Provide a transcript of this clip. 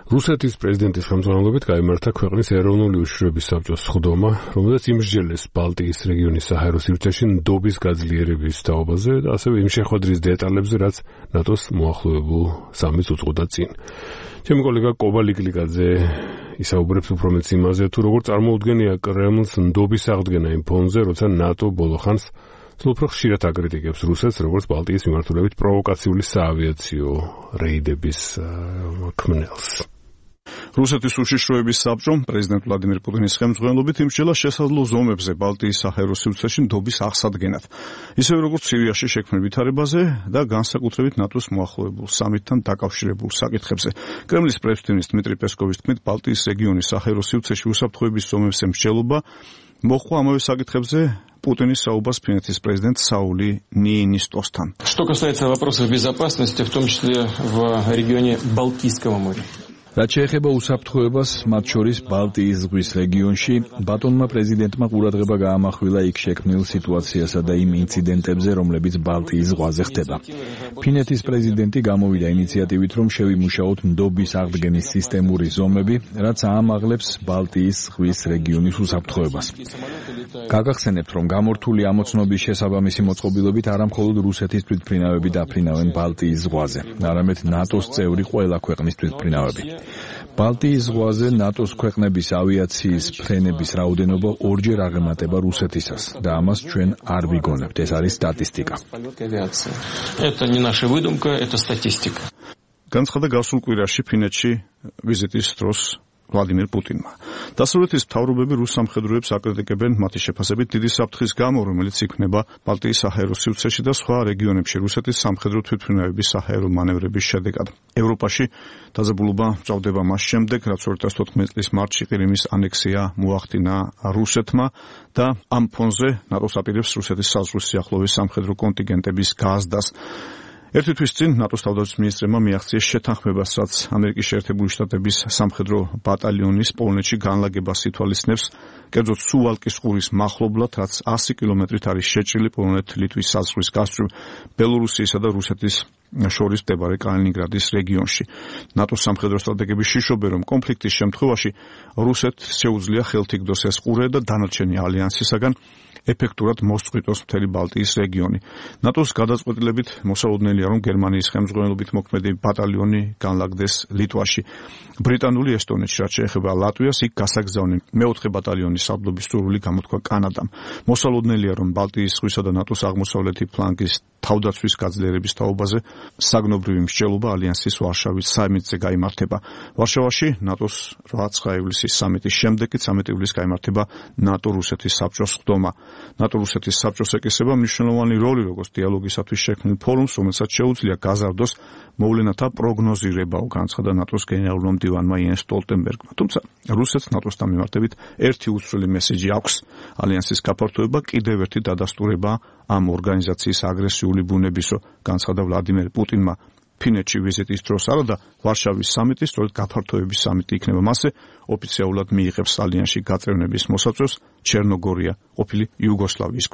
რუსეთის პრეზიდენტის ხელმძღვანელობით გაიმართა ქვეყნის ეროვნული უშიშროების საბჭოს სხდომა, რომელზეც იმსჯელეს ბალტიის რეგიონის საჰაერო სივრცეში ნდობის გაძლიერების თაობაზე და ასევე იმ შეხვედრის დეტალებზე, რაც ნატოს მოახლოებულ სამიტს უძღვოდა წინ. ჩემი კოლეგა კობა ლიკლიკაძე ისაუბრებს უფრო მეტ იმაზე, თუ როგორ წარმოუდგენია კრემლს ნდობის აღდგენა იმ ფონზე, როცა ნატო ბოლო ხანს უფრო ხშირად აკრიტიკებს რუსეთს, როგორც ბალტიის მიმართულებით პროვოკაციული საავიაციო რეიდების ქმნელს. რუსეთის უშიშროების საბჭომ პრეზიდენტ ვლადიმერ პუტინის ხელმძღვანელობით იმსჯელა შესაძლო ზომებზე ბალტიის საჰაერო სივრცეში ნდობის აღსადგენად, ისევე როგორც სირიაში შექმნილ ვითარებაზე და განსაკუთრებით ნატოს მოახლოებულ სამიტთან დაკავშირებულ საკითხებზე. კრემლის პრესმდივნის დმიტრი პესკოვის თქმით, ბალტიის რეგიონის საჰაერო სივრცეში უსაფრთხოების ზომებზე მსჯელობა მოხდა ამავე საკითხებზე Путиნის საუბარს ფინეთის პრეზიდენტ საული ნიინისტოსთან. Что касается вопросов безопасности, в том числе в регионе Балтийского моря. რაც შეეხება უსაფრთხოებას, მათ შორის ბალტიის ზღვის რეგიონში, ბატონმა პრეზიდენტმა ყურადღება გაამახვილა იქ შექმნილ სიტუაციასა და იმ ინციდენტებზე, რომლებიც ბალტიის ზღვაზე ხდება. ფინეთის პრეზიდენტი გამოვიდა ინიციატივით, რომ შევიმუშაოთ ნდობის აღდგენის სისტემური ზომები, რაც აამაღლებს ბალტიის ზღვის რეგიონის უსაფრთხოებას. გაგახსენებთ, რომ გამორთული ამოცნობის შესაბამისი მოწყობილობით არა მხოლოდ რუსეთის თვითმფრინავები დაფრინავენ ბალტიის ზღვაზე, არამედ ნატოს წევრი ყველა ქვეყნის თვითმფრინავები. ბალტიის ზღვაზე ნატოს ქვეყნების ავიაციის ფრენების რაოდენობა ორჯერ აღემატება რუსეთისას და ამას ჩვენ არ ვიგონებთ, ეს არის სტატისტიკა. Это не наша выдумка, это статистика. განცხადა გასულ კვირაში ფინეთში ვიზიტის დროს ვლადიმერ პუტინმა. დასავლეთის მთავრობები რუს სამხედროებს აკრიტიკებენ მათი შეფასებით დიდი საფრთხის გამო, რომელიც იქმნება ბალტიის საჰაერო სივრცეში და სხვა რეგიონებში რუსეთის სამხედრო თვითმფრინავების საჰაერო მანევრების შედეგად. ევროპაში დაძაბულობა მწვავდება მას შემდეგ, რაც 2014 წლის მარტში ყირიმის ანექსია მოახდინა რუსეთმა და ამ ფონზე ნატოს აპირებს რუსეთის საზღვრის სიახლოვეს სამხედრო კონტინგენტების გაზრდას. ერთი თვის წინ ნატოს თავდაცვის მინისტრებმა მიაღწიეს შეთანხმებას, რაც ამერიკის შეერთებული შტატების სამხედრო ბატალიონის პოლონეთში განლაგებას ითვალისწინებს, კერძოდ სუვალკის ყურის მახლობლად, რაც 100 კილომეტრით არის შეჭრილი პოლონეთ-ლიტვის საზღვრის გასწვრივ ბელორუსიისა და რუსეთის შორის მდებარე კალინინგრადის რეგიონში. ნატოს სამხედრო სტრატეგები შიშობენ, რომ კონფლიქტის შემთხვევაში რუსეთს შეუძლია ხელთიგდოს ეს ყურე და დანარჩენი ალიანსისაგან ეფექტურად მოსწყვიტოს მთელი ბალტიის რეგიონი. ნატოს გადაწყვეტილებით მოსალოდნელია, რომ გერმანიის ხელმძღვანელობით მოქმედი ბატალიონი განლაგდეს ლიტვაში. ბრიტანული ესტონეთში, რაც შეეხება ლატვიას, იქ გასაგზავნი მეოთხე ბატალიონის სარდლობის სურვილი გამოთქვა კანადამ. მოსალოდნელია, რომ ბალტიის ზღვისა და ნატოს აღმოსავლეთი ფლანგის თავდაცვის გაძლიერების თაობაზე საგნობრივი მსჯელობა ალიანსის ვარშავის სამიტზე გაიმართება. ვარშავაში ნატოს 8 ივლისის სამიტის შემდეგ 13 ივლისს გაიმართება ნატო-რუსეთის საბჭოს სხდომა. ნატო-რუსეთის საბჭოს ეკისრება მნიშვნელოვანი როლი, როგორც დიალოგისათვის შექმნილ ფორუმს, რომელსაც შეუძლია გაზარდოს მოვლენათა პროგნოზირებაო, განცხადა ნატოს გენერალურმა მდივანმა იენს სტოლტენბერგმა. თუმცა რუსეთს ნატოსთან მიმართებით ერთი უცვლელი მესიჯი აქვს. ალიანსის გაფართოება კიდევ ერთი დადასტურება ამ ორგანიზაციის აგრესიული ბუნებისო, განცხადა ვლადიმერ პუტინმა. ფინეთში ვიზიტის დროს არადა ვარშავის სამიტის, სწორედ გაფართოების სამიტი იქნება მასზე, ოფიციალურად მიიღებს ალიანსში გაწევნების მოსაწვევს ჩერნოგორია, ყოფილი იუგოსლავიის